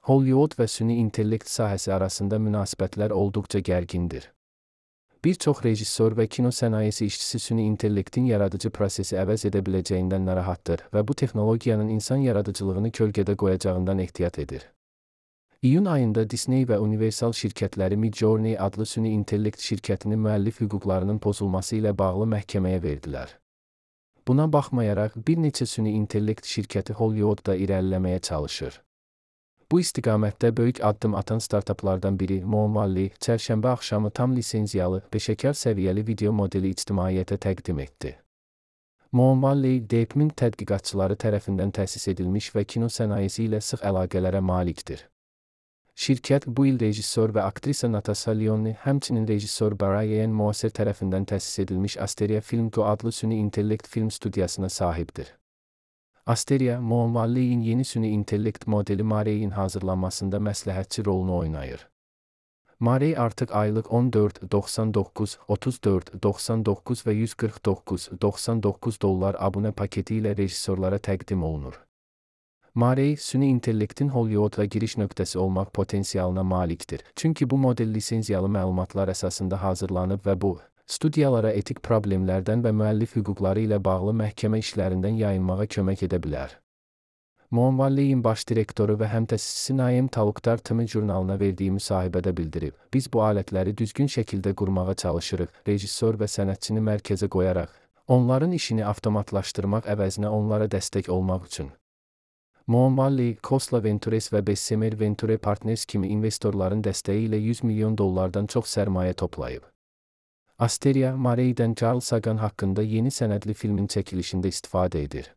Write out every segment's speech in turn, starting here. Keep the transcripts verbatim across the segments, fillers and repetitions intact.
Hollywood və süni intellekt sahəsi arasında münasibətlər olduqca gərgindir. Bir çox rejissor və kino sənayesi işçisi süni intellektin yaradıcı prosesi əvəz edə biləcəyindən narahatdır və bu texnologiyanın insan yaradıcılığını kölgədə qoyacağından ehtiyat edir. İyun ayında Disney və Universal şirkətləri Midjourney adlı süni intellekt şirkətinin müəllif hüquqlarının pozulması ilə bağlı məhkəməyə verdilər. Buna baxmayaraq, bir neçə süni intellekt şirkəti Hollywoodda irəliləməyə çalışır. Bu istiqamətdə böyük addım atan startaplardan biri Moon Valley, çərşənbə axşamı tam lisenziyalı, peşəkar səviyyəli video modeli ictimaiyyətə təqdim etdi. Moon Valley, DeepMind tədqiqatçıları tərəfindən təsis edilmiş və kino sənayesi ilə sıx əlaqələrə malikdir. Şirkət bu il rejissor və aktrisa Natasha Lyonne, həmçinin rejissor Brian Moser tərəfindən təsis edilmiş Asteria Film Co adlı süni intellekt film studiyasına sahibdir. Asteria, Moon Valley'in yeni süni intellekt modeli Marey'in hazırlanmasında məsləhətçi rolunu oynayır. Marey artıq aylıq on dörd doxsan doqquz, otuz dörd doxsan doqquz və yüz qırx doqquz doxsan doqquz dollar abunə paketi ilə rejissorlara təqdim olunur. Marey, süni intellektin Hollywood'a giriş nöqtəsi olmaq potensialına malikdir. Çünki bu model lisenziyalı məlumatlar əsasında hazırlanıb və bu, studiyalara etik problemlərdən və müəllif hüquqları ilə bağlı məhkəmə işlərindən yayınmağa kömək edə bilər. Moon Valley'in baş direktoru və həmtəsisçisi Naim Talukdar T M jurnalına verdiyi müsahibədə bildirib, biz bu alətləri düzgün şəkildə qurmağa çalışırıq, rejissor və sənətçini mərkəzə qoyaraq, onların işini avtomatlaşdırmaq əvəzinə onlara dəstək olmaq üçün. Moon Valley, Khosla Ventures və Bessemer Venture Partners kimi investorların dəstəyi ilə yüz milyon dollardan çox sərmayə toplayıb. Asteria, Marey'dən Carl Sagan haqqında yeni sənədli filmin çəkilişində istifadə edir.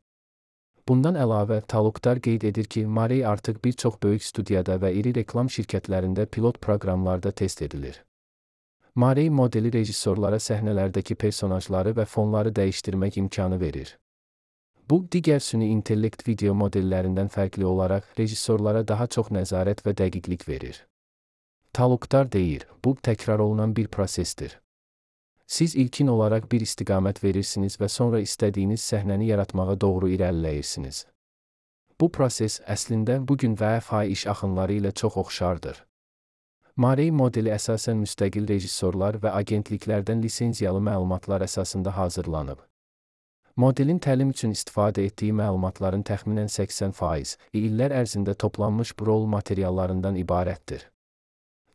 Bundan əlavə, Talukdar qeyd edir ki, Marey artıq bir çox böyük studiyada və iri reklam şirkətlərində pilot proqramlarda test edilir. Marey modeli rejissorlara səhnələrdəki personajları və fonları dəyişdirmək imkanı verir. Bu, digər süni intellekt video modellərindən fərqli olaraq, rejissorlara daha çox nəzarət və dəqiqlik verir. Talukdar deyir, bu, təkrar olunan bir prosesdir. Siz ilkin olaraq bir istiqamət verirsiniz və sonra istədiyiniz səhnəni yaratmağa doğru irəliləyirsiniz. Bu proses, əslində, bugün V F X iş axınları ilə çox oxşardır. Marey modeli əsasən müstəqil rejissorlar və agentliklərdən lisenziyalı məlumatlar əsasında hazırlanıb. Modelin təlim üçün istifadə etdiyi məlumatların təxminən səksən faizi illər ərzində toplanmış rol materiallarından ibarətdir.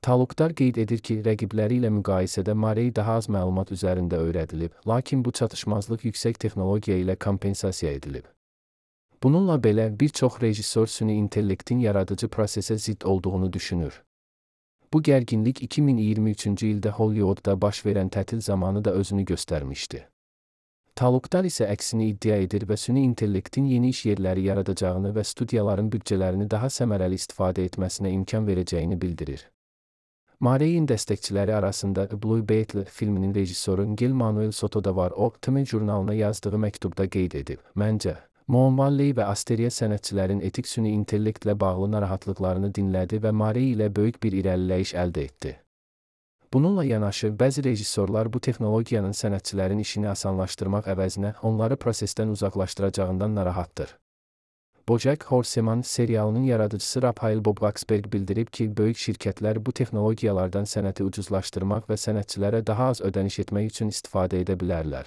Talukdar qeyd edir ki, rəqibləri ilə müqayisədə Marey daha az məlumat üzərində öyrədilib, lakin bu çatışmazlıq yüksək texnologiya ilə kompensasiya edilib. Bununla belə, bir çox rejissor süni intellektin yaradıcı prosesə zidd olduğunu düşünür. Bu gərginlik iki min iyirmi üçüncü ildə Hollywoodda baş verən tətil zamanı da özünü göstərmişdi. Talukdar isə əksini iddia edir və süni intellektin yeni iş yerləri yaradacağını və studiyaların büdcələrini daha səmərəli istifadə etməsinə imkan verəcəyini bildirir. Marey'in dəstəkçiləri arasında Blue Beetle filminin rejissoru Ngel Manuel Soto da var. O, T M jurnalına yazdığı məktubda qeyd edib, məncə, Moon Valley və Asteria sənətçilərin etik süni intellektlə bağlı narahatlıqlarını dinlədi və Marey ilə böyük bir irəliləyiş əldə etdi. Bununla yanaşı, bəzi rejissorlar bu texnologiyanın sənətçilərin işini asanlaşdırmaq əvəzinə onları prosesdən uzaqlaşdıracağından narahatdır. BoJack Horseman serialının yaradıcısı Raphael Bob-Waksberg bildirib ki, böyük şirkətlər bu texnologiyalardan sənəti ucuzlaşdırmaq və sənətçilərə daha az ödəniş etmək üçün istifadə edə bilərlər.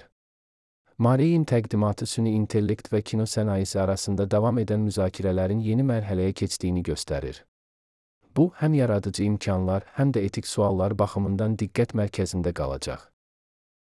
Marey'in təqdimatı süni intellekt və kino sənayesi arasında davam edən müzakirələrin yeni mərhələyə keçdiyini göstərir. Bu, həm yaradıcı imkanlar, həm də etik suallar baxımından diqqət mərkəzində qalacaq.